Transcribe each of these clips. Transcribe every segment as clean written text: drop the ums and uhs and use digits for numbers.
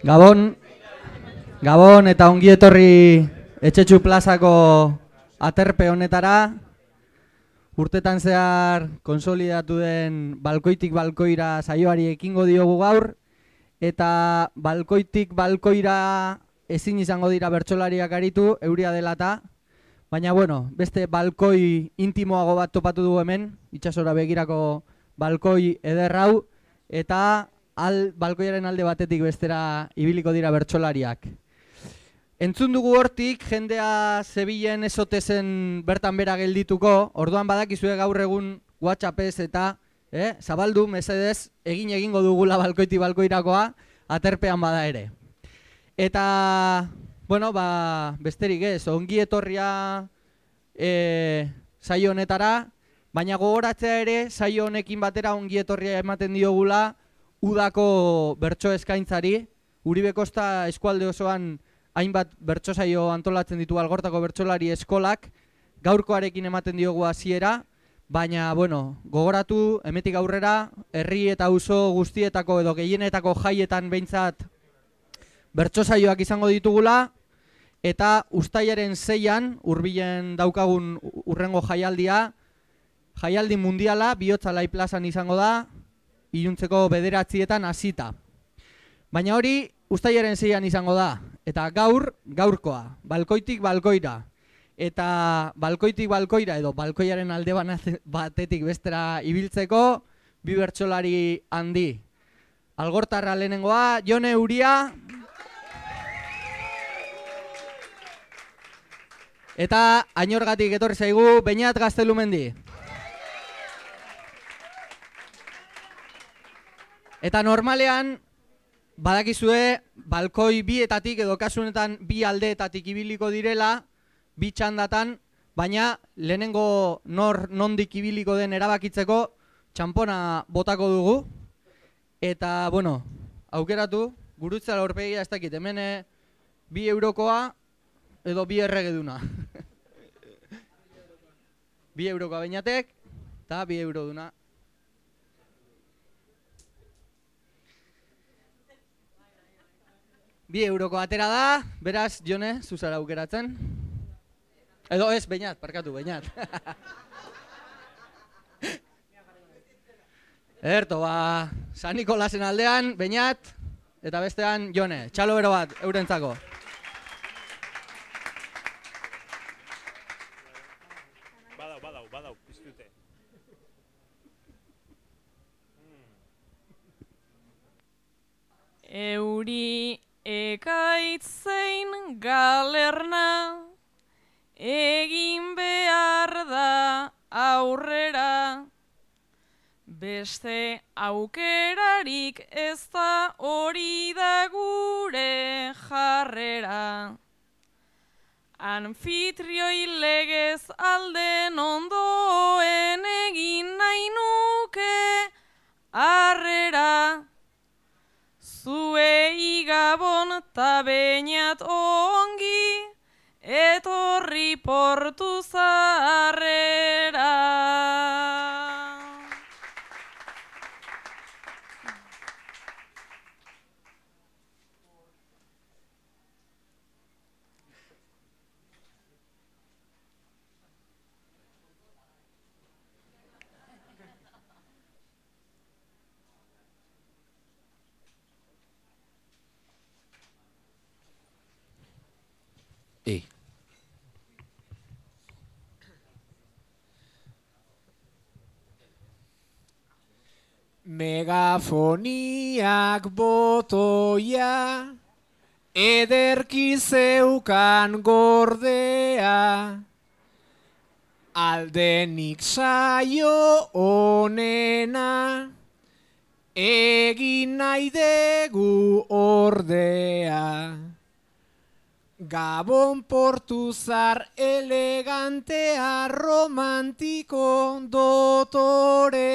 Gabon, Gabon eta ongi etorri Etxetxu plazako aterpe honetara. Urtetan zehar konsolidatu den balkoitik balkoira saioari ekingo diogu gaur. Eta balkoitik balkoira ezin izango dira bertsolariak aritu, euria dela eta. Baina bueno, beste balkoi intimoago bat topatu dugu hemen, itsasora begirako balkoi eder hau. Eta balkoiaren alde batetik bestera ibiliko dira bertsolariak. Entzun dugu hortik, jendea Zebilen ezote zen bertan bera geldituko, orduan badakizue gaur egun WhatsAppez eta zabaldu, mesedez, egingo dugula balkoitik balkoirakoa, aterpean bada ere. Eta, bueno, besterik ez, ongi etorria saio honetara, baina gogoratzea ere, saio honekin batera ongi etorria ematen diogula udako bertso eskaintzari. Uribe Kosta eskualde osoan hainbat bertso saio antolatzen ditu Algortako bertsolari eskolak, gaurkoarekin ematen diogu hasiera, baina, bueno, gogoratu, hemetik aurrera, herri eta auzo guztietako edo gehienetako jaietan behintzat bertso saioak izango ditugula, eta uztailaren 6an, hurbilen daukagun urrengo jaialdia, jaialdi mundiala, Bihotz Alai plazan izango da, iluntzeko 9etan hasita. Baina hori, uztailaren 6an izango da, eta gaurkoa, balkoitik balkoira. Eta balkoitik balkoira edo balkoiaren alde batetik bestera ibiltzeko, bi bertsolari handi. Algortarra lehenengoa, Jone Uria. Eta Ainorgatik etorri zaigu, Beñat Gaztelumendi. Eta normalean, badakizue, balkoi bietatik edo kasunetan bi aldeetatik ibiliko direla, bi txandatan, baina lehenengo nondik ibiliko den erabakitzeko txanpona botako dugu. Eta, bueno, aukeratu, gurutzea aurpegia ez dakit, hemen 2 eurokoa edo 2 erregeduna. 2 eurokoa Beñatek eta 2 euroduna. Bi euroko atera da, beraz, Jone, zuzara aukeratzen. Edo ez, Beñat, parkatu, Beñat. Ederto, San Nikolasen aldean, Beñat, eta bestean, Jone, txalo bero bat, eurentzako. Badau, piztute. Euri ekaitzein galerna, egin behar da aurrera, beste aukerarik ez da hori da gure jarrera. Anfitrioi legez alden ondoen egin nahi nuke harrera. Zuei Gabon ta Beñat ongi, etorri Portu Zaharrera. Megafoniak botoia, ederki zeukan gordea, aldenik saio onena, egin nahi dugu ordea. Gabon Portuzar elegantea, romantiko dotorea.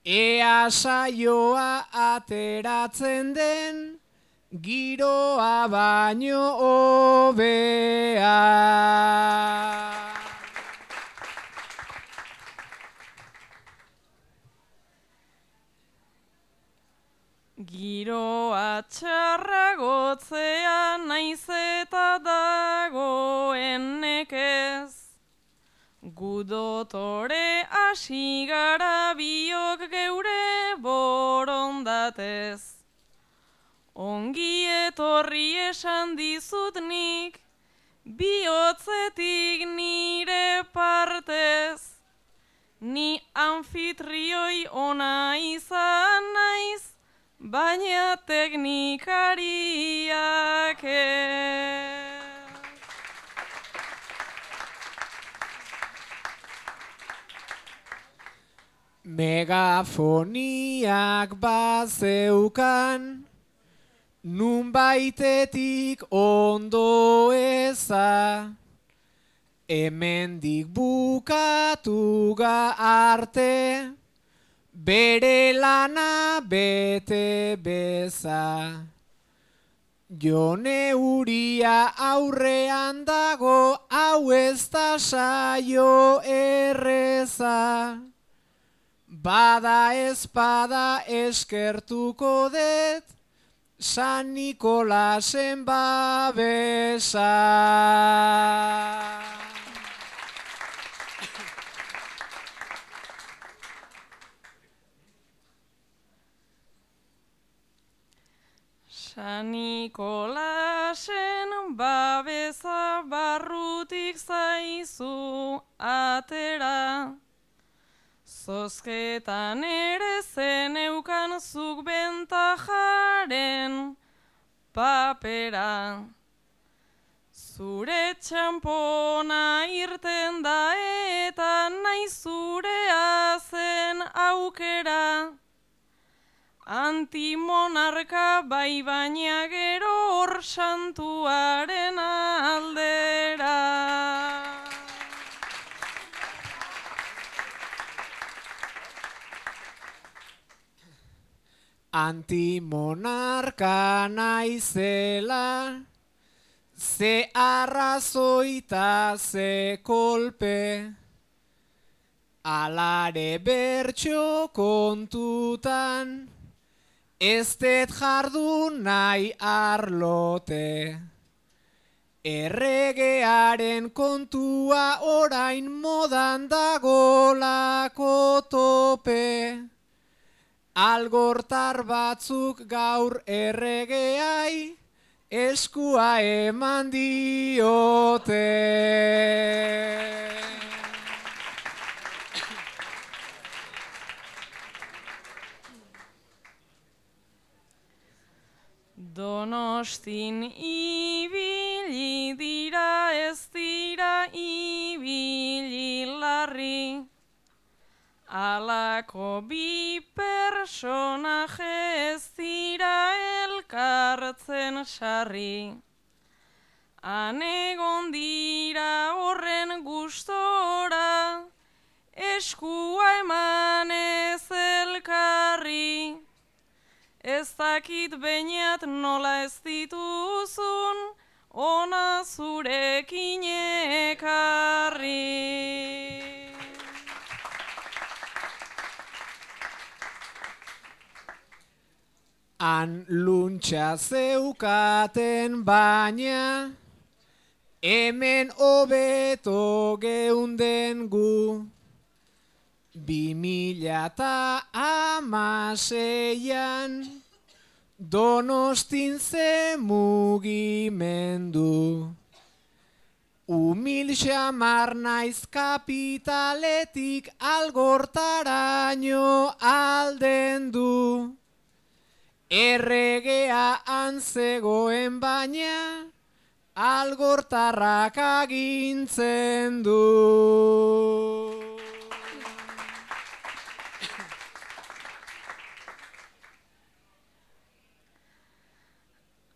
Ea saioa ateratzen den, giroa baino hobea. Giroa txarragotzea naiz eta dagoen nekez. Gu dotore hasi gara biok geure borondatez. Ongi etorri esan dizut nik, bihotzetik nire partez. Ni anfitrioi ona izan naiz, baina teknikariak ez. Megafoniak bazeukan, nunbaitetik ondo eza, hemendik bukatu arte, bere lana bete beza. Jone Uria aurrean dago, hau ez da saio erreza. Bada espada eskertuko dut, San Nikolasen babesa. San Nikolasen babesa barrutik zaizu atera. Zozketan ere zeneukan zuk bentajaren papera. Zure txampona irten da eta nahi zurea zen aukera. Antimonarka bai baina gero hor santuaren aldera. Antimonarka naizela, ze arrazoita ze kolpe, alare bertso kontutan, ez dut jardun nahi arlote. Erregearen kontua orain modan dagolako tope. Algortar batzuk gaur erregeai eskua eman diote. Donostin ibili dira ez dira ibili larri. Alako bi personaje ez dira elkartzen sarri. Han egon dira horren gustora, eskua emanez elkarri. Ez dakit beinat nola ez dituzun, ona zurekin ekarri. Han luntxa zeukaten baina, hemen hobeto geunden gu. 2016an, Donostin ze mugimendu. Umil xamar naiz kapitaletik algortaraino aldendu. Erregea antzegoen baina, algortarrak agintzen du.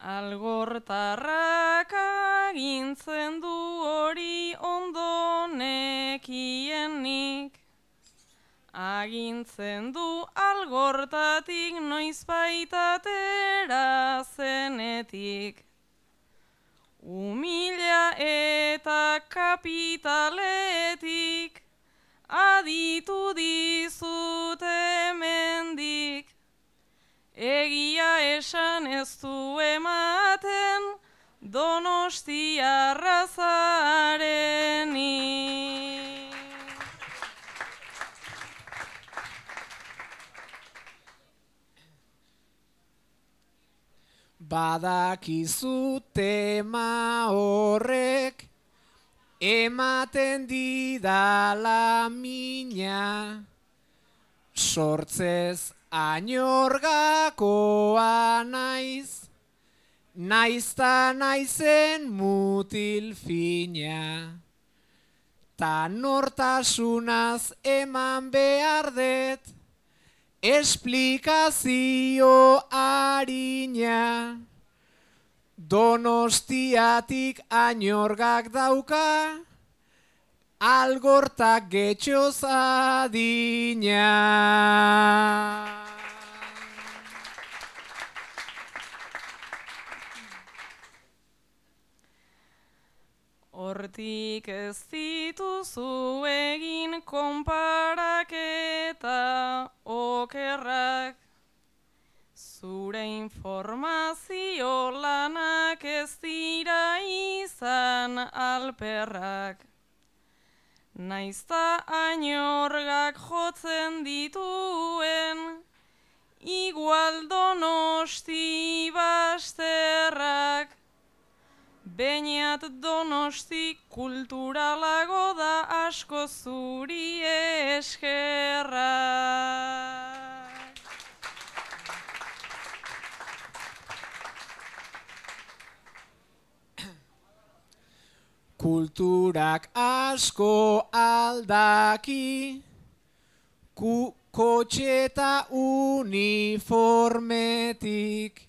Algortarrak agintzen du hori ondo nekienik. Agintzen du algortatik noizbait atera zenetik. Umila eta kapitaletik aditu dizut hemendik. Egia esan ez du ematen Donostiarra zarenik. Badakizu tema horrek ematen didala mina, sortzez añorgakoa naiz, naizta naizen mutil fina, ta nortasunaz eman behar dut, esplikazio harina. Donostiatik añorgak dauka, algortak getxoz adina. Hortik ez dituzu egin konparaketa okerrak, zure informazio lanak ez dira izan alperrak. Naizta añorgak jotzen dituen, igual Donosti basterrak. Beñat Donosti kulturalago da asko zuri eskerrak. Kulturak asko aldaki, kotxeta uniformetik,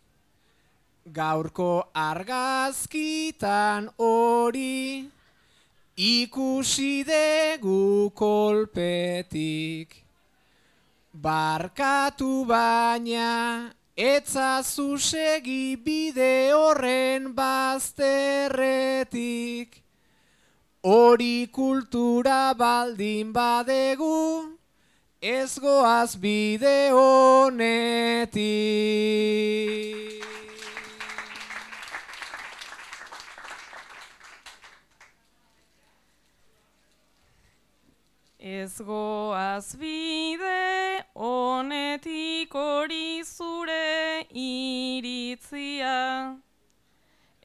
gaurko argazkitan hori, ikusi dugu kolpetik. Barkatu baina, etzazu segi bide horren bazterretik. Hori kultura baldin badegu, ez goaz bide honetik. Ez goaz bide honetik hori zure iritzia.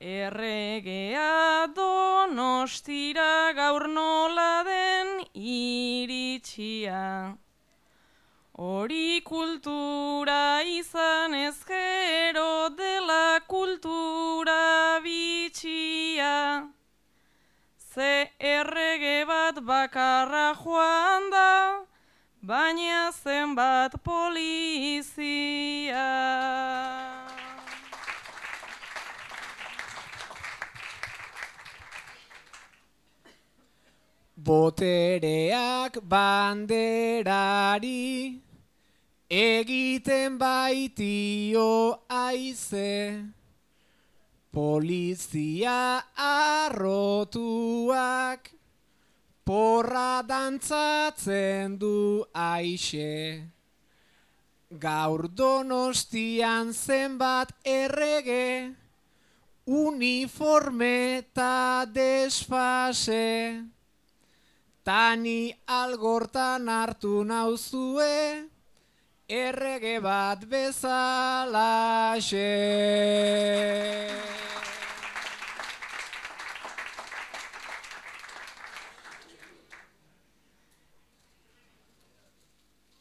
Erregea Donostira gaur nola den iritsia. Hori kultura izan ezkero dela kultura bitxia. Ze errege bat bakarra joan da, baina zenbat polizia. Botereak banderari egiten baitio aize, polizia arrotuak porra dantzatzen du aixe. Gaur Donostian zenbat errege, uniforme eta desfase. Tani algortan hartu nauzue, errege bat bezalaxe.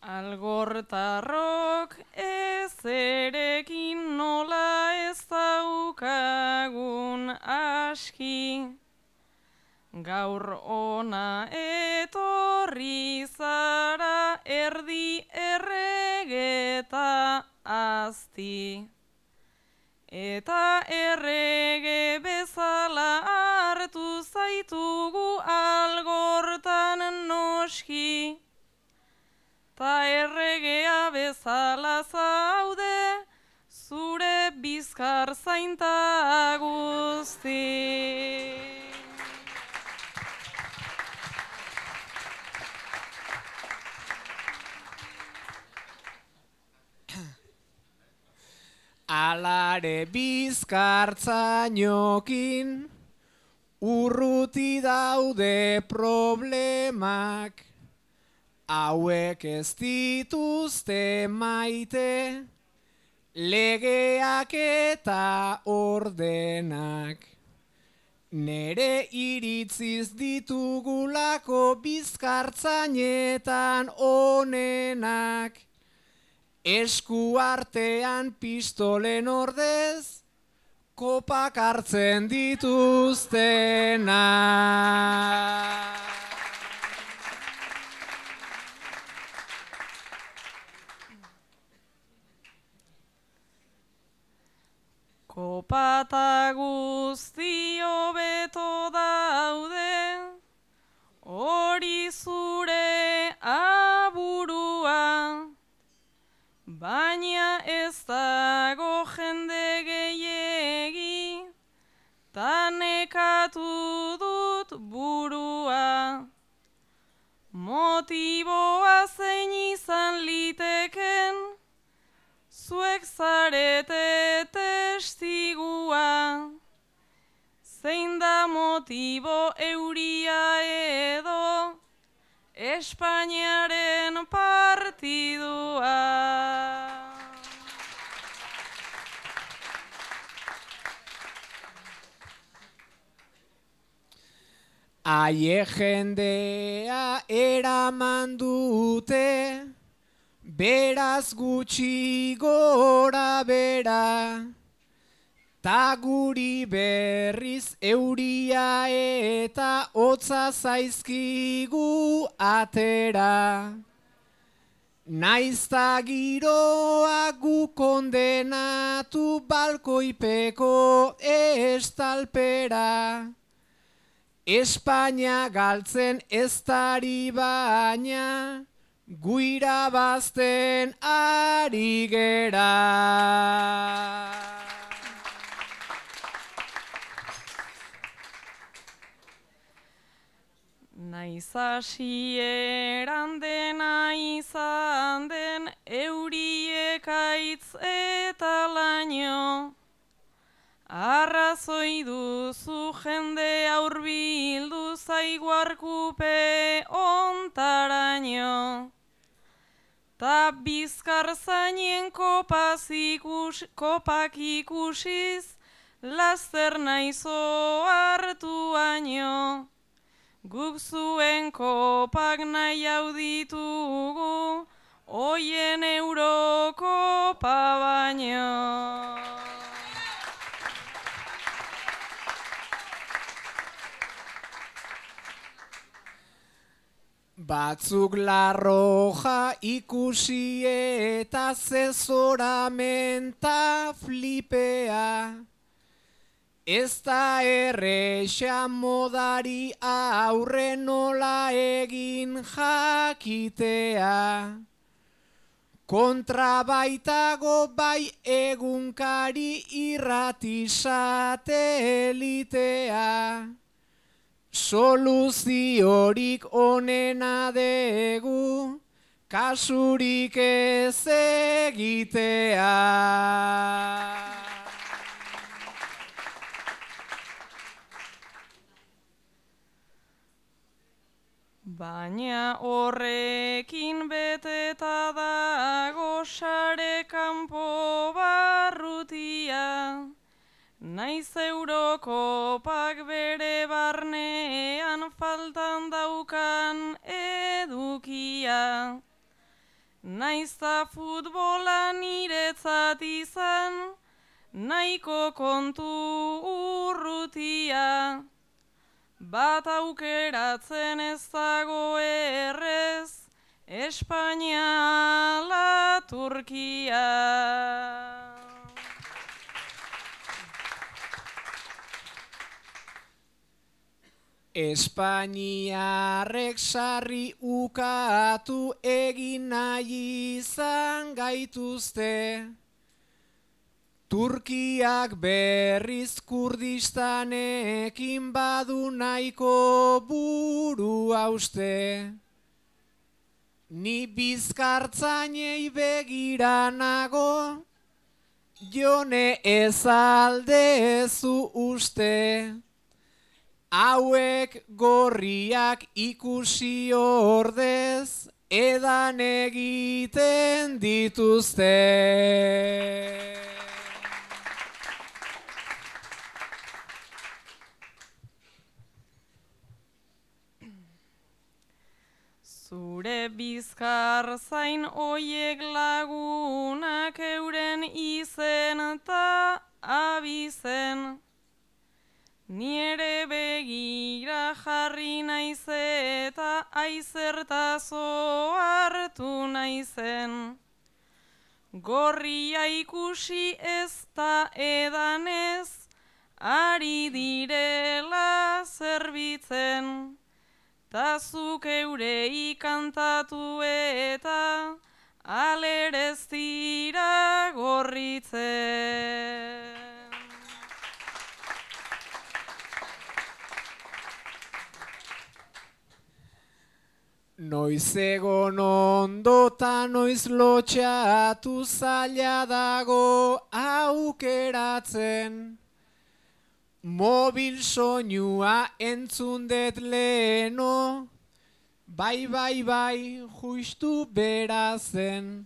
Algortarrok ezerekin nola ez daukagun aski. Gaur ona etorri zara erdi erregeta azti. Eta errege bezala hartu zaitugu algortan noski. Ta erregea bezala zaude, zure bizkar zainta guzti. Alare bizkartzainokin urruti daude problemak, hauek ez dituzte maite, legeak eta ordenak. Nere iritziz ditugulako bizkartzainetan onenak, esku artean pistolen ordez, kopak hartzen dituztenak. Kopata guzti hobeto daude, hori zure aburua, baina ez dago jende gehiegi, ta nekatu dut burua. Motiboa zein izan liteken, zuek zarete testigua. Zein da motibo euria edo Espainiaren partidua. Aie jendea eraman dute, beraz gutxi gora bera, ta guri berriz euria eta hotza zaizkigu atera. Naizta giroa gu kondenatu balkoipeko estalpera, Espainia galtzen ez dari baina, gu irabazten ari gera. Naiz hasieran dena izan den euriek aitz eta laino, arrazoi duzu jende aurbildu zaigu arkupe ontaraino. Ta bizkartzainen kopak ikusiz, laster naizo hartu baino. Guk zuen kopak nahi hau ditugu, hoien Eurokopa baino. Batzuk La Roja ikusi eta zezoramenta flipea, ez da erresa modari aurre nola egin jakitea. Kontra baitago bai egunkari irrati satelitea. Soluziorik onena degu, kasurik ez egitea. Baina horrekin beteta dago sare kanpo barrutia, naiz Eurokopak bere barnean faltan daukan edukia. Naiz ta futbola niretzat izan, nahiko kontu urrutia. Bat aukeratzen ez dago errez, Espainia ala Turkia. Espainiarrek sarri ukatu egin nahi izan gaituzte, Turkiak berriz Kurdistanekin badu nahiko buru hauste. Ni bizkartzainei begira nago, jone ez aldezu uste, hauek gorriak ikusi ordez, edan egiten dituzte. Zure bizkar zain oiek lagunak euren izen eta abizen. Ni ere begira jarri naiz eta aizertazo hartu naizen. Gorria ikusi ez da edanez, ari direla zerbitzen. Ta zuk eurei kantatu eta alerez dira gorritzen. Noiz egon ondo ta noiz lotxatu zaila dago aukeratzen. Mobil soinua entzun dut leheno, bai, justu berazen.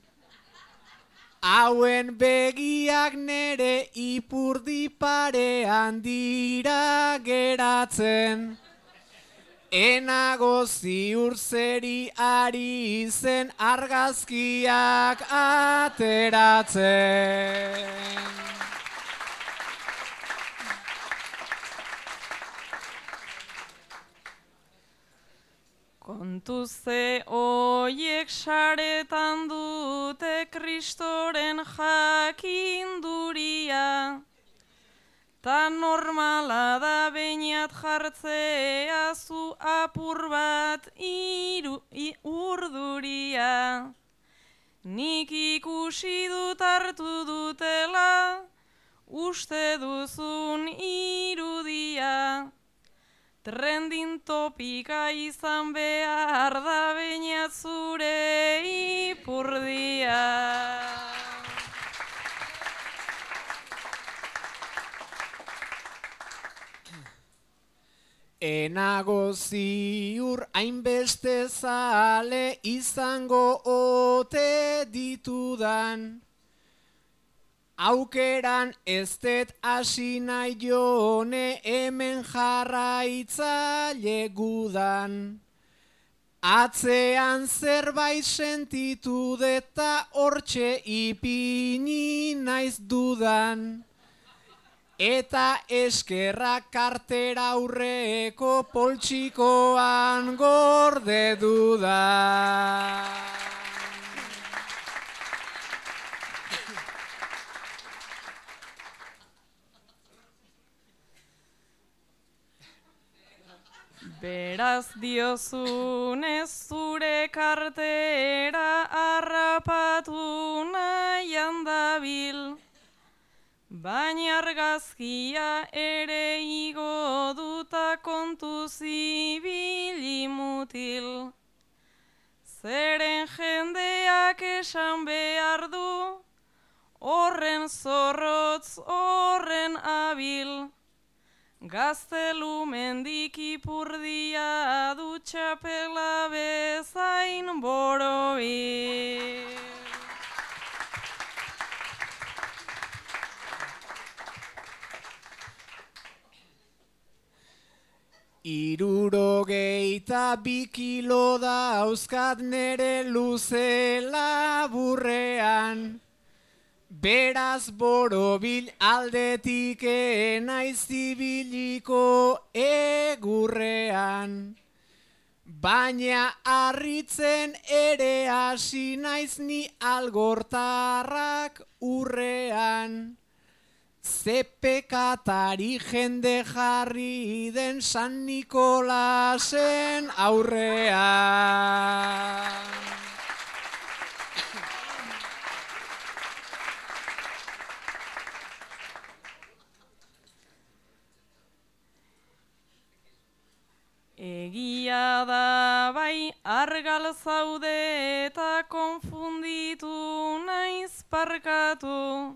Hauen begiak nere ipurdi parean dira geratzen. Enago ziur zeri ari zen argazkiak ateratzen. Kontuze oiek saretan dute Kristoren jakinduria, ta normala da beinat jartzea zu apur bat urduria. Nik ikusi dut hartu dutela, uste duzun irudia. Trending topika izan behar da beinat zure ipurdia. Enago ziur hainbeste zale izango ote ditudan. Aukeran ez dut hasi nahi jone hemen jarraitzaile gudan. Atzean zerbait sentitu deta hortxe ipini naiz dudan. Eta eskerrak kartera aurreko poltsikoan gorde dudan. Beraz diozunez zure kartera harrapatu nahian dabil, baina argazkia ere igo duta kontuz ibili mutil. Zeren jendeak esan behar du, horren zorrotz, horren abil. Gaztelu mendik ipurdia du txapela bezain borobil. Hirurogeita 2 kilo dauzkat nere luze laburrean. Beraz borobil aldetik enaiz ibiliko egurrean. Baina harritzen ere hasi naiz ni algortarrak urrean. Ze pekatari jende jarri den San Nikolasen aurrean. Egia da bai argal zaude eta konfunditu naiz parkatu.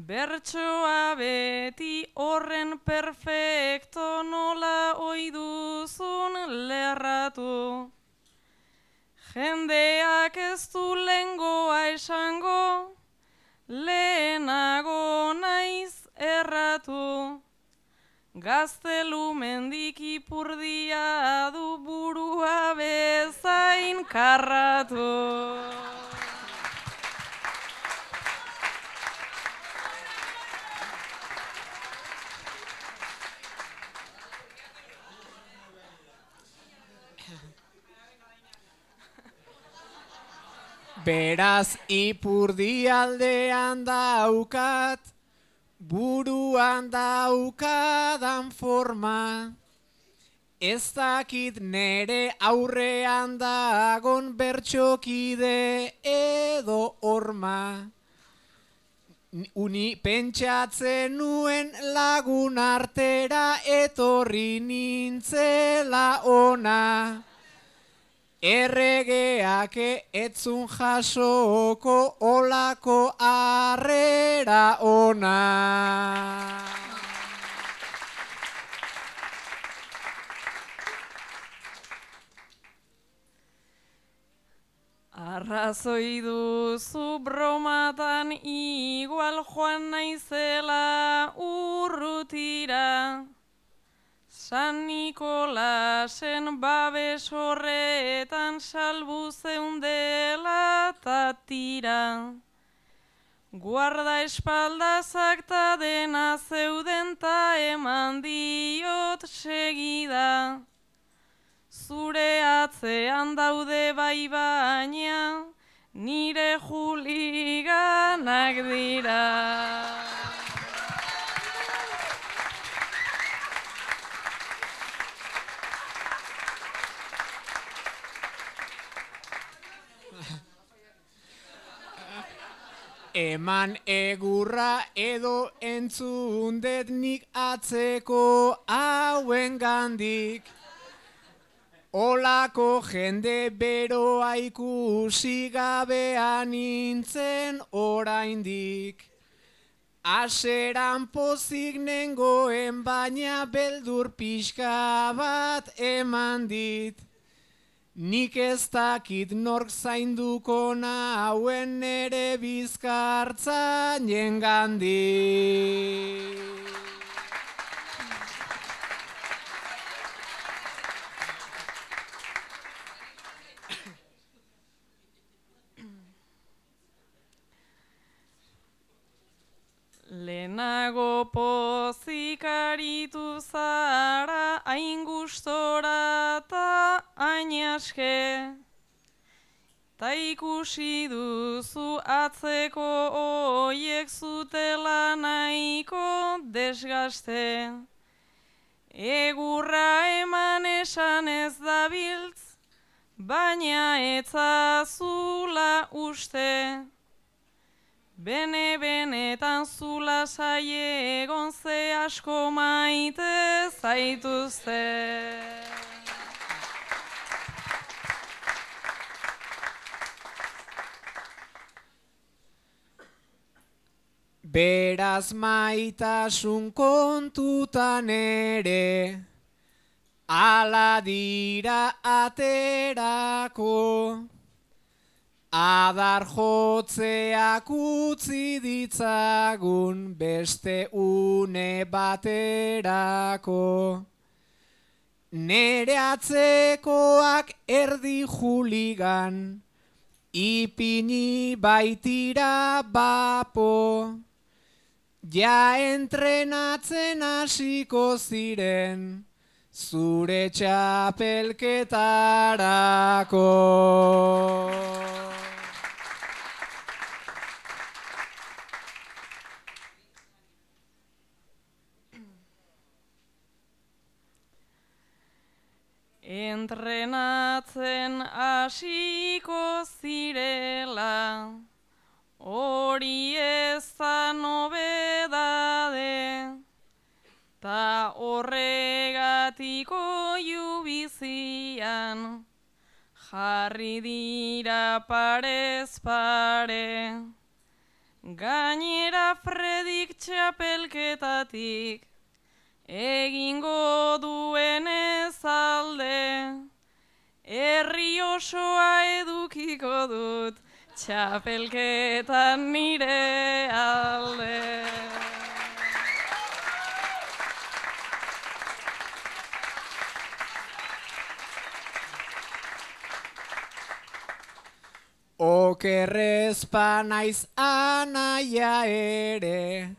Bertsoa beti horren perfecto nola oiduzun lerratu. Jendeak ez du lengoa esango, lehenago naiz erratu. Gaztelu mendik ipurdia du burua bezain karratu. Beraz ipurdi aldean daukat, buruan daukadan forma. Ez dakit nere aurrean dagon bertxokide edo horma. Uni pentsatzen nuen lagun artera etorri nintzela ona. Erregeak etzun jasoko olako harrera ona. Arrazoi duzu bromatan igual joan naizela urrutira. San Nikolasen babes horretan salbu zeundela tatira. Guarda espaldazak ta dena zeuden ta eman diot segida. Zure atzean daude bai baina, nire juliganak dira. Eman egurra edo entzundet nik atzeko hauen gandik. Olako jende beroa ikusi gabean nintzen oraindik. Aseran pozik nengoen baina beldur pixka bat eman dit. Nik ez dakit nork zainduko nauen nere bizkartzainen gandik. Lehenago pozik aritu zara hain gustora ta hain aske. Ta ikusi duzu atzeko oiek zutela nahiko desgaste. Egurra eman esan ez dabiltz, baina etzazula uste. Bene-benetan zula saie egon ze asko maite zaituzte. Beraz maitasun kontutan ere, ala dira aterako. Adar jotzeak utzi ditzagun beste une baterako. Nere atzekoak erdi juligan, ipini baitira bapo. Ja entrenatzen hasiko ziren, zure txapelketarako. Entrenatzen hasiko zirela, hori ez da nobedade, ta horregatiko jubizian, jarri dira parez pare. Gainera Fredik txapelketatik egingo duenez alde, herri osoa edukiko dut txapelketan nire alde. Okerrezpa naiz anaia ere,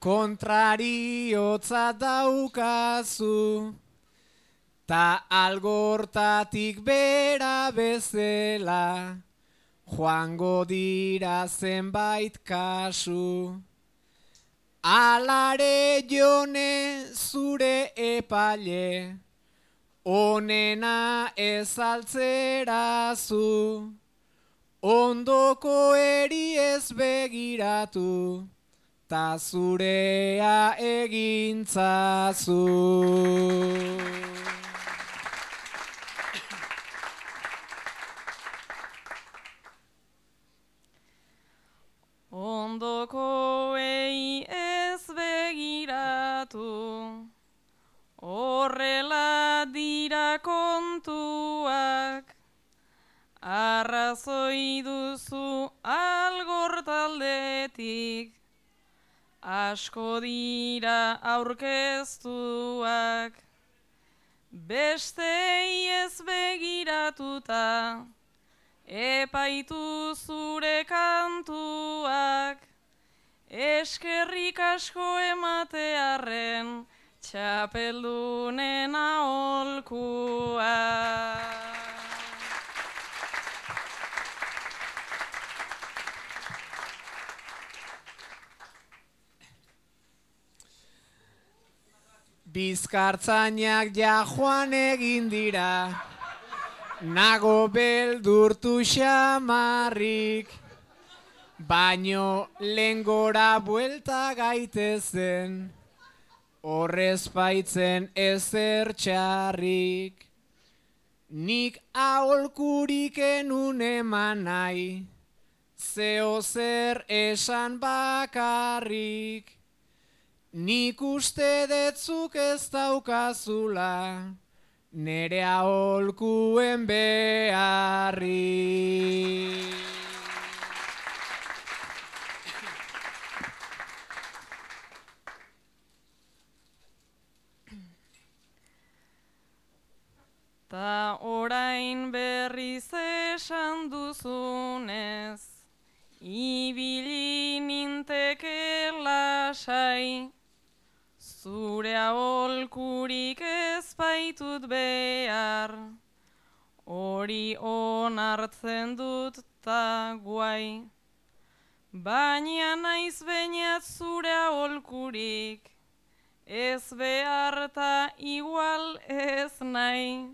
kontrariotza daukazu, ta algortatik bera bezala, joango dira zenbait kasu. Alare Jone zure epaile, onena ezaltzerazu, ondoko eri ez begiratu, ta zurea egintzazu. Ondokoei ez begiratu, horrela dira kontuak, arrazoi duzu algortaldetik, asko dira aurkeztuak, bestei ez begiratuta, epaitu zure kantuak, eskerrik asko ematearren txapeldunen aholkuak. Bizkartzainak ja joan egin dira, nago beldurtu xamarrik, baino lehengora buelta gaitezen, horrez baitzen ezer txarrik. Nik aholkurik enun eman nahi, zeo zer esan bakarrik. Nik uste detzuk ez daukazula, nere aholkuen beharrik. Ta orain berriz esan duzunez, ibili ninteke lasai, zure aholkurik ez baitut behar, hori onartzen dut ta guai, baina naiz bainat zure aholkurik, ez behar ta igual ez nahi,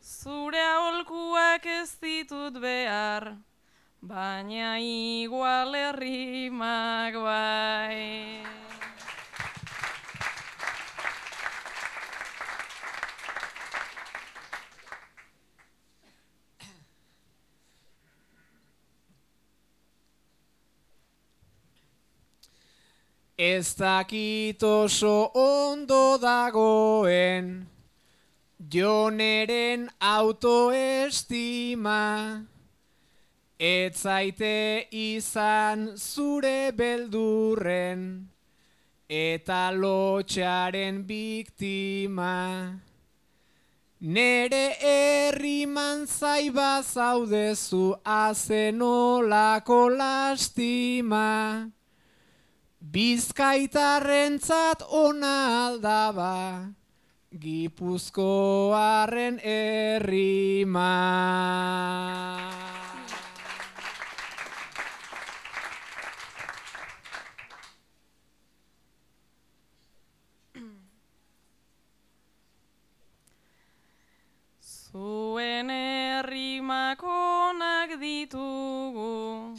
zure aholkuak ez ditut behar, baina igual errimak bai. Ez dakit oso ondo dagoen, Joneren autoestima, ez zaite izan zure beldurren, eta lotxaren biktima. Nere herriman zaiba zaudezu azenolako lastima, Bizkaitarrentzat ona aldaba, Gipuzkoarren errima. Zuen errimak onak ditugu,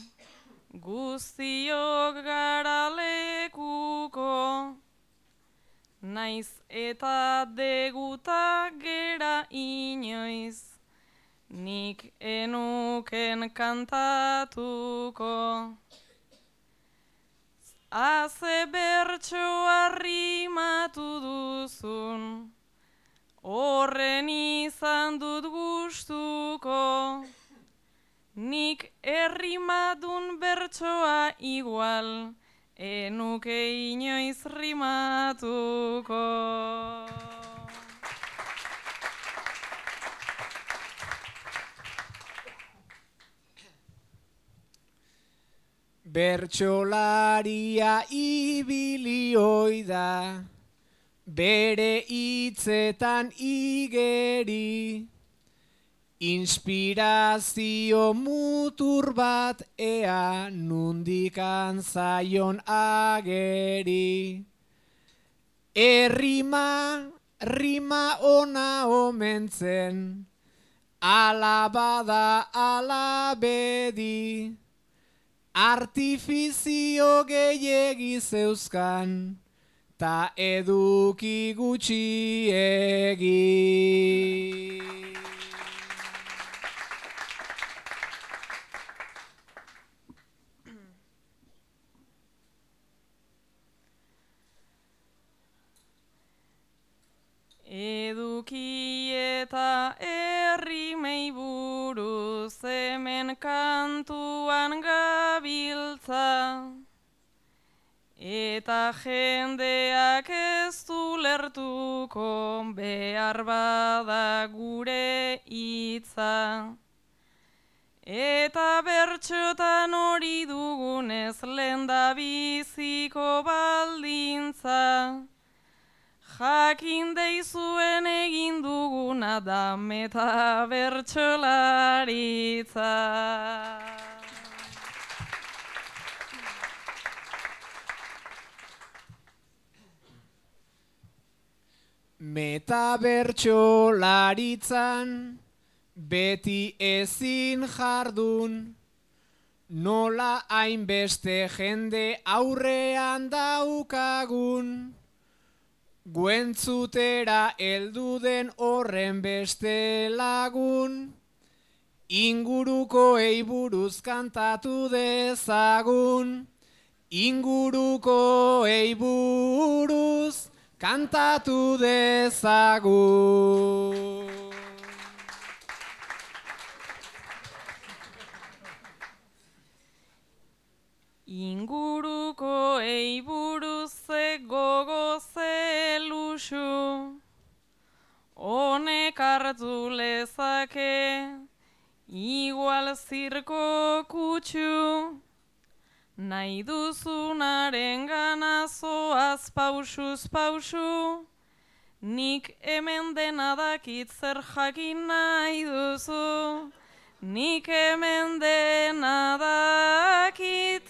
guztiok gara lekuko, naiz eta deguta gera inoiz, nik enuken kantatuko. Aze bertsoa rimatu duzun, horren izan dut gustuko, nik errimadun bertsoa igual, enuke inoiz rimatuko. Bertsolaria ibili oida, bere hitzetan igeri, inspirazio mutur bat ea nundikan zaion ageri. Rima ona omentzen, ala bada ala bedi, artifizio gehiegi zeuzkan, ta eduki gutxiegi. Eduki eta errimei buruz hemen kantuan gabiltza, eta jendeak ez du lertuko behar bada gure hitza. Eta bertxotan hori dugunez lehendabiziko baldintza, jakin deizuen egin duguna da meta bertsolaritza. Meta bertsolaritzan beti ezin jardun, nola hainbeste jende aurrean daukagun, guentzutera heldu den horren beste lagun, ingurukoei buruz kantatu dezagun, ingurukoei buruz kantatu dezagun. Ingurukoei buruz ze gogo ze luxu, honek hartu lezake, igual zirko kutxu, nahi duzunaren gana zoaz pausuz pausu, nik hemen dena dakit zer jakin nahi duzu, nik hemen dena dakit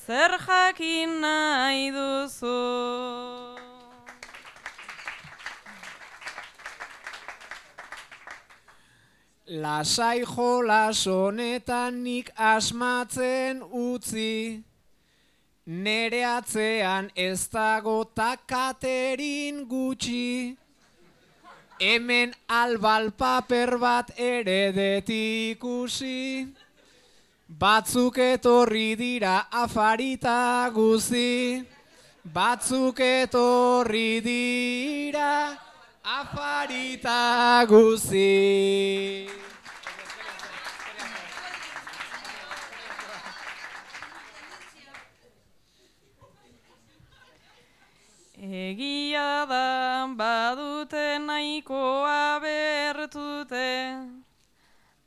zer jakin nahi duzu. Lasai jolas honetan nik asmatzen utzi, nere atzean ez dago takaterin gutxi, hemen albal paper bat ere det ikusi, batzuk etorri dira afarita guzi, batzuk etorri dira afarita guzi. Egia da badute nahikoa bertute,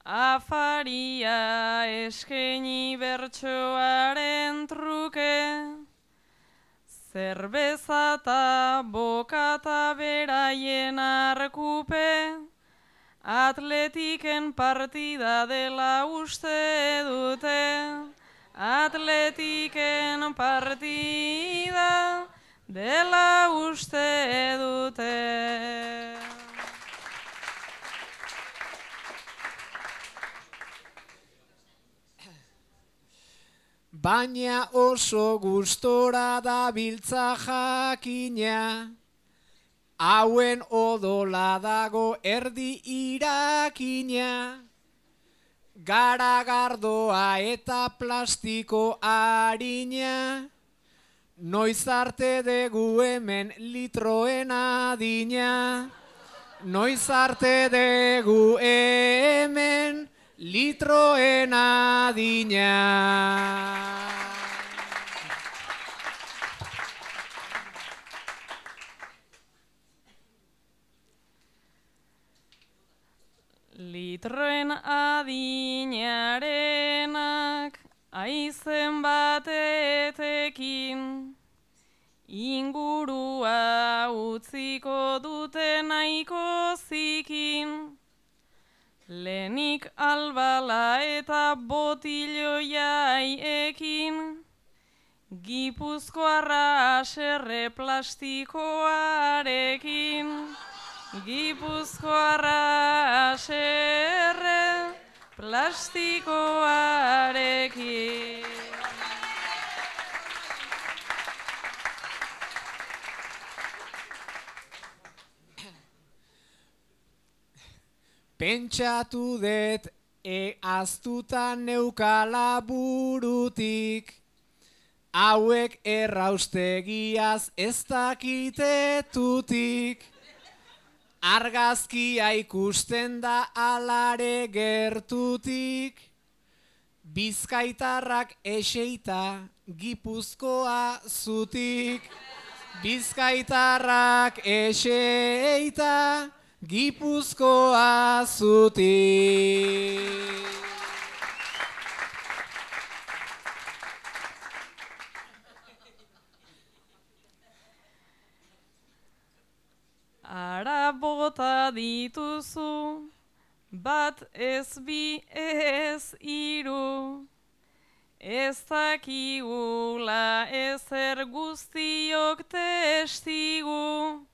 afaria eskaini bertsoaren truke, zerbeza eta bokata beraien arkupe, atletiken partida dela uste dute, atletiken partida dela uste dute. Baina oso gustora dabiltza jakina, hauen odola dago erdi irakina, garagardoa eta plastiko harina, noiz arte dugu hemen litroen adina. Noiz arte dugu hemen litroen adina. Litroen adinarenak aizen batetekin ingurua utziko dute nahiko zikin. Lehenik albala eta botiloiaiekin Gipuzkoarra haserre plastikoarekin. Gipuzkoarra haserre plastikoarekin. Pentsatu dut aztuta neukala burutik, hauek erraustegiaz ez dakitetutik. Argazkia ikusten da alare gertutik, Bizkaitarrak eseita Gipuzkoa zutik. Bizkaitarrak eseita Gipuzkoa zutik. Ara bota dituzu, bat ez bi ez hiru, ez dakigula ezer guztiok testigu.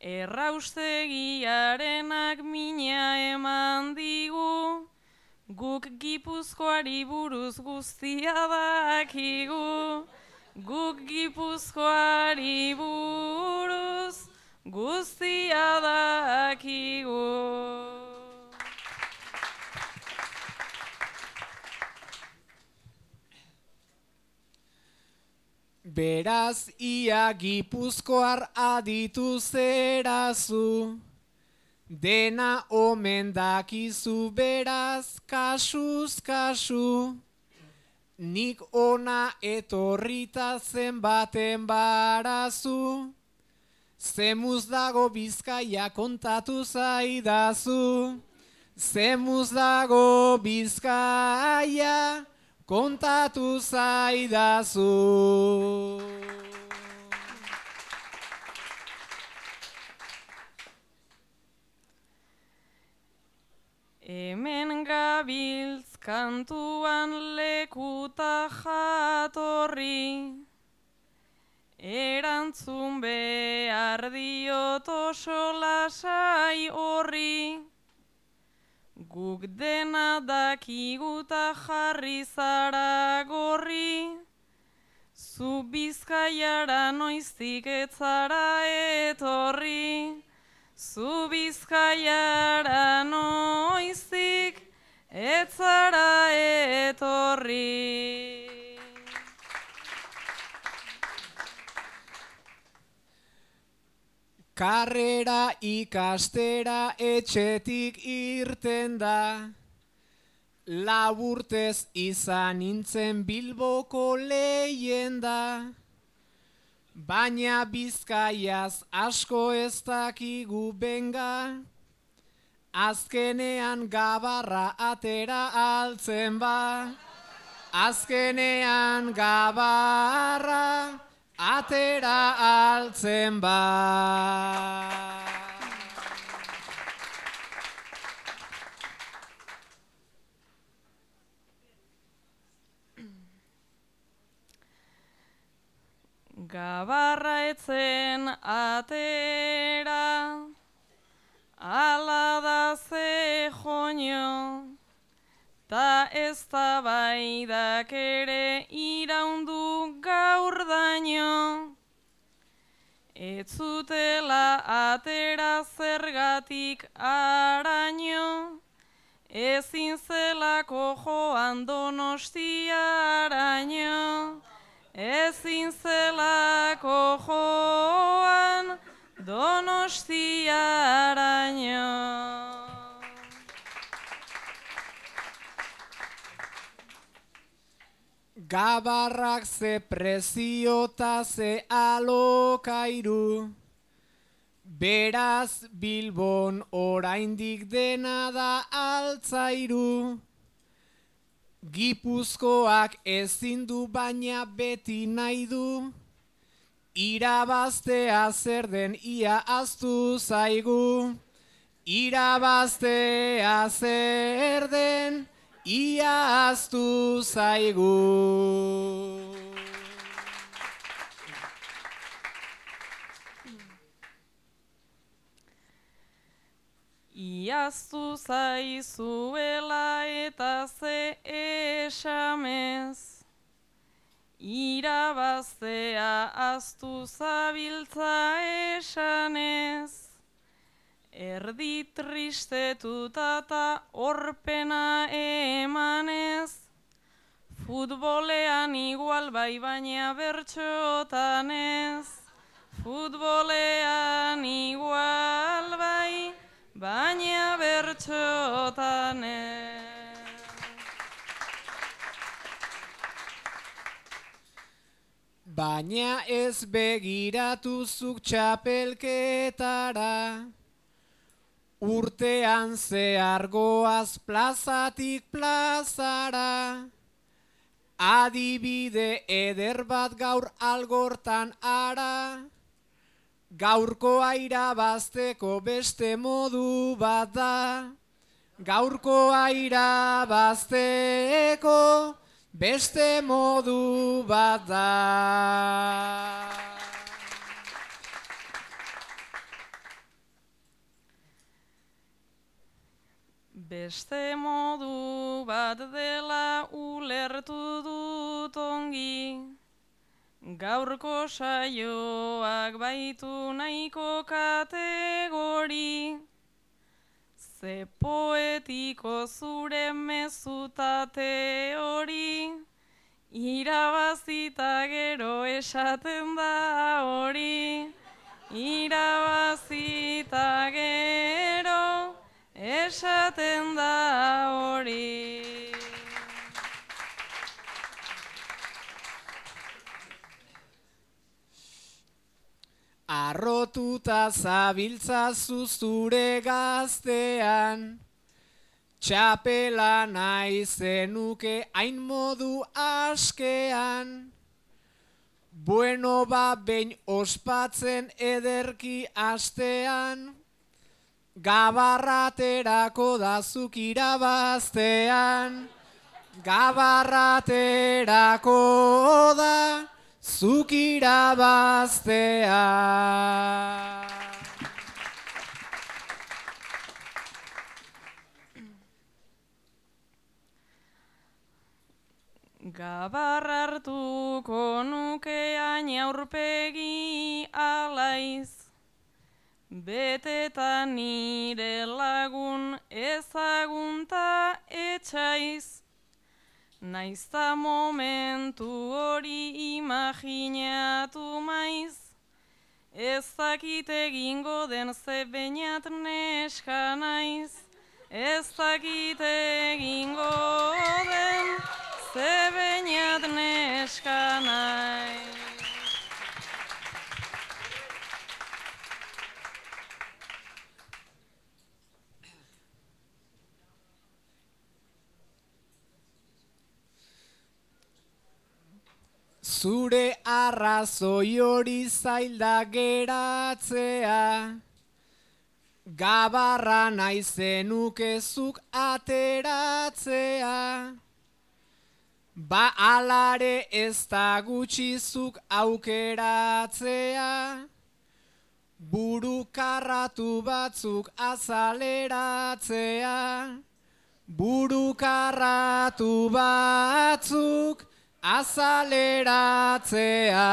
Erraustegiarenak mina eman digu, guk Gipuzkoari buruz guztia dakigu. Guk Gipuzkoari buruz guztia dakigu. Beraz ia Gipuzkoar aditu zerazu, dena omen dakizu beraz kasuz kasu. Nik ona etorrita zenbaten barazu, zemuz dago Bizkaia kontatu zaidazu. Zemuz dago Bizkaia kontatu zaidazu. Hemen gabiltz kantuan lekuta jatorri, erantzun behar diot oso lasai horri. Guk dena dakiguta jarri zara gorri, zu Bizkaiara noiztik ez zara etorri. Zu Bizkaiara noiztik ez zara etorri. Karrera ikastera etxetik irten da, laburtez izan nintzen Bilboko leyenda. Baina Bizkaiaz asko ez dakigu benga, azkenean Gabarra atera altzen ba. Azkenean Gabarra atera altzen ba. Gabarra etzen atera, ala da ze joño, ta ez da baidak ere iraundu gaur daño. Ez zutela atera zergatik araño, ezin zelako joan Donostiaraino. ezin zelako joan Donostiaraino. Gabarrak ze preziota ze alokairu, beraz Bilbon oraindik dena da altzairu. Gipuzkoak ezin du baina beti nahi du, irabaztea zer den ia ahaztu zaigu. Irabaztea zer den ia ahaztu zaigu. Iaztu zaizuela eta ze esamez, irabaztea ahaztu zabiltza esanez. Erdi tristetuta eta horpena emanez, futbolean igual bai baina bertxotan ez. Futbolean igual bai baina bertxotan ez. Baina ez begiratu zuk txapelketara, urtean zehar goaz plazatik plazara. Adibide eder bat gaur Algortan ara, gaurkoa irabazteko beste modu bat da. Gaurkoa irabazteko beste modu bat da. Beste modu bat dela ulertu dut ongi, gaurko saioak baitu nahiko kategori. Ze poetiko zure mezutate hori, irabazita gero esaten da hori. Irabazita gero esaten da hori. Arrotuta zabiltzazu zure gaztean, txapela nahi zenuke hain modu askean. Bueno ba behin ospatzen ederki astean, gabarraterako da zuk irabaztean. Gabarraterako da zuk irabaztean. Gabarra hartuko nukean aurpegi alaiz, beteta nire lagun ezagunta etxaiz. Naizta momentu hori imaginatu maiz, ez dakit egingo den ze beinat neska naiz. Ez dakit egingo den ze beinat neska naiz. Zure arrazoi hori zailda geratzea, gabarra nahi zenuke zuk ateratzea. Ba alare ez da gutxi zuk aukeratzea, burukarratu batzuk azaleratzea. Burukarratu batzuk azaleratzea.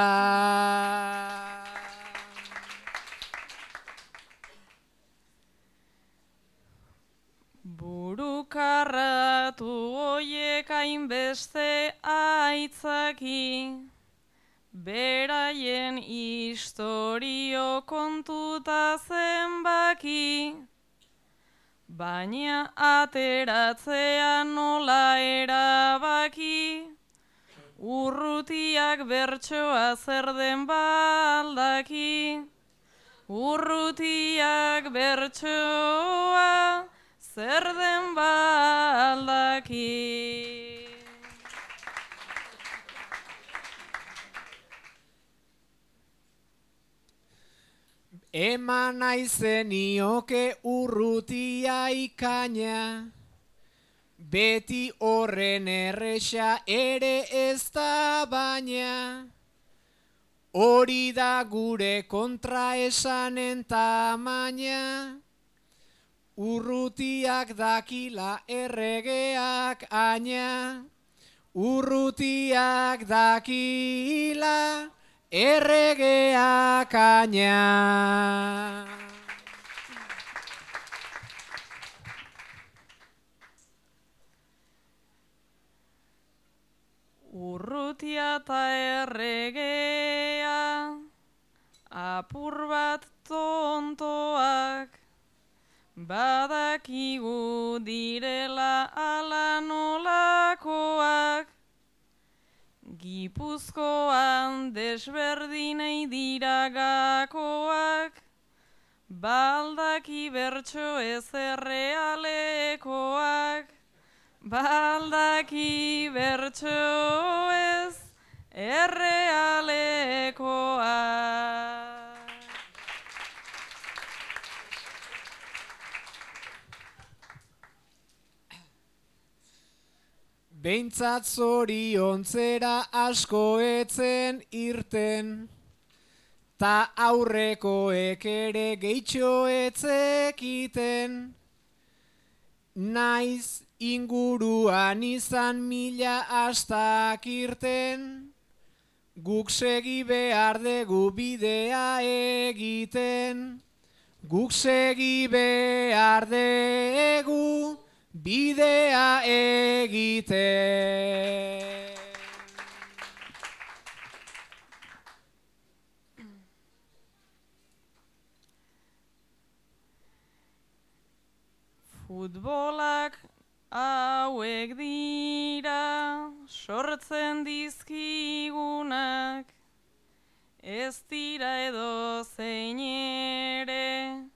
Burukarratu hoiek hainbeste aitzaki, beraien istorio kontuta zenbaki, baina ateratzea nola erabaki, urrutiak bertsoa zer den baldaki, urrutiak bertsoa zer den baldaki. Eman naizenioke urrutia ikaina, beti horren erresa ere ez da baina, hori da gure kontraesanen tamaina, urrutiak dakila erregeak aina, urrutiak dakila erregeak aina. Urrutia eta erregea, apur bat tontoak, badakigu direla ala nolakoak, Gipuzkoan desberdinei dira gakoak, baldaki bertso ez errealekoak, baldaki bertso ez errealekoak. Behintzat zoriontzera asko etzen irten, ta aurrekoek ere gehitxo etzekiten, naiz inguruan izan mila astak irten, guk segi behar dugu bidea egiten, guk segi behar dugu bidea egiten. Futbolak hauek dira sortzen dizkigunak, ez dira edo zein ere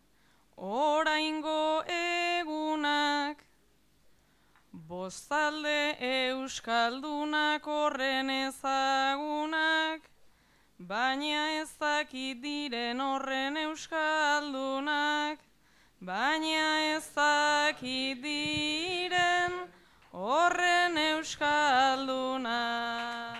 oraingo egunak, bostalde euskaldunak horren ezagunak, baina ez dakit diren horren euskaldunak, baina ez dakit diren horren euskaldunak.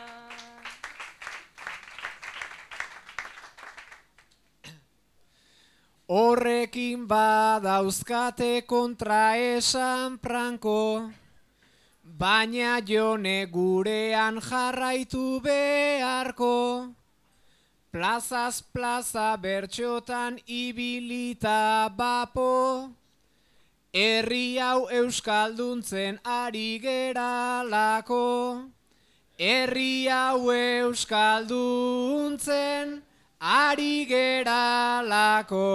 Horrekin badauzkate kontraesan franko, baina jone gurean jarraitu beharko, plazaz plaza bertxotan ibilita bapo, herri hau euskalduntzen ari geralako, herri hau euskalduntzen ari geralako.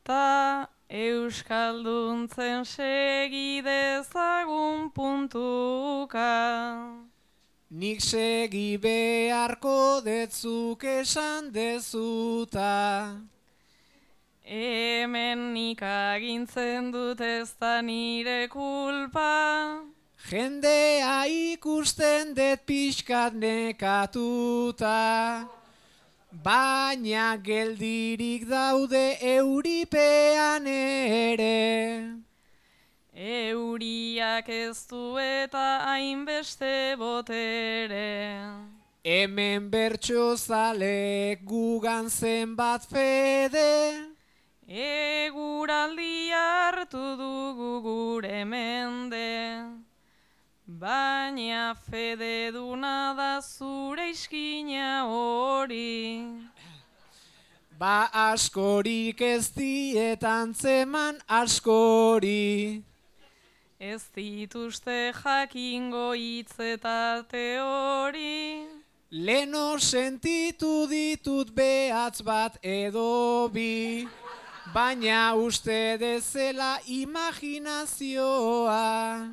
Ta euskalduntzen segi dezagun puntuka. Nik segi beharko detzuk esan dezuta. Hemen nik agintzen dut ez da nire kulpa. Jendea ikusten dut pixkat nekatuta, baina geldirik daude euripean ere. Euriak ez du eta hainbeste botere. Hemen bertso zalek gugan zenbat fede, eguraldi hartu dugu gure mende. Baina fede duna da zure iskina hori. Ba askorik ez dietan zeman askori. Ez dituzte jakingo hitz eta teori. Leno sentitu ditut behatz bat edo bi, baina uste dezela imaginazioa.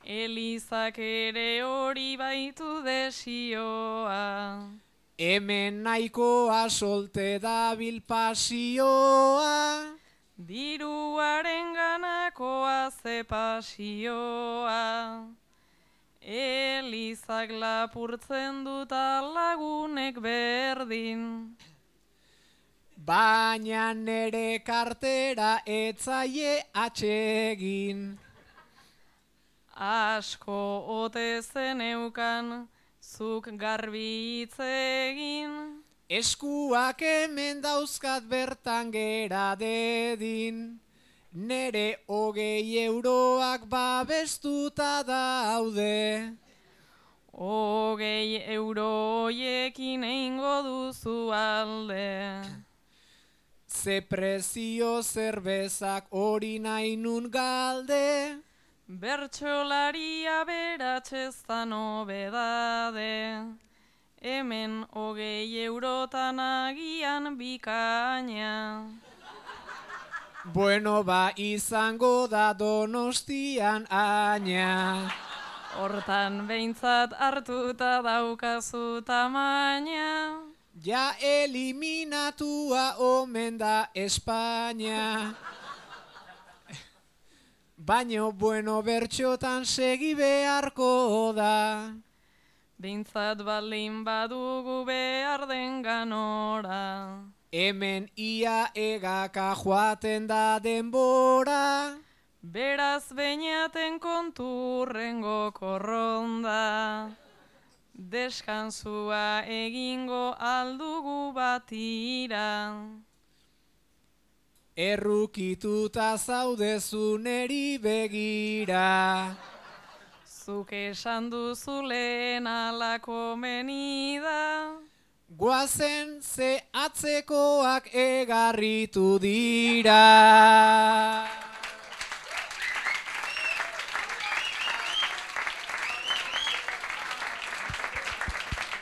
Elizak ere hori baitu desioa. Hemen nahikoa solte dabil pasioa. Diruaren ganakoa ze pasioa. Elizak lapurtzen duta lagunek berdin. Baina nere kartera etzaie atsegin. Asko ote zeneukan, zuk garbi hitz egin. Eskuak hemen dauzkat bertan gera dedin. Nere 20 euroak babestuta daude. 20 euro hoiekin eingo duzu alde. Ze prezio zerbezak hori nahi nun galde. Bertsolaria beratzezta nobedade. Hemen 20 eurotan agian bikaina. Bueno, ba izango da Donostian aina. Hortan behintzat hartuta daukazu tamaina. Ja eliminatua omen da Espainia. Baino bueno bertxotan segi beharko da. Behintzat baldin badugu behar den ganora. Hemen ia egaka joaten da denbora. Beraz beinaten konturrengo korronda. Deskantzua egingo aldugu batira. Errukituta zaudezu neri begira. Zuk esan duzu lehen alako menida. Guazen ze atzekoak egarritu dira.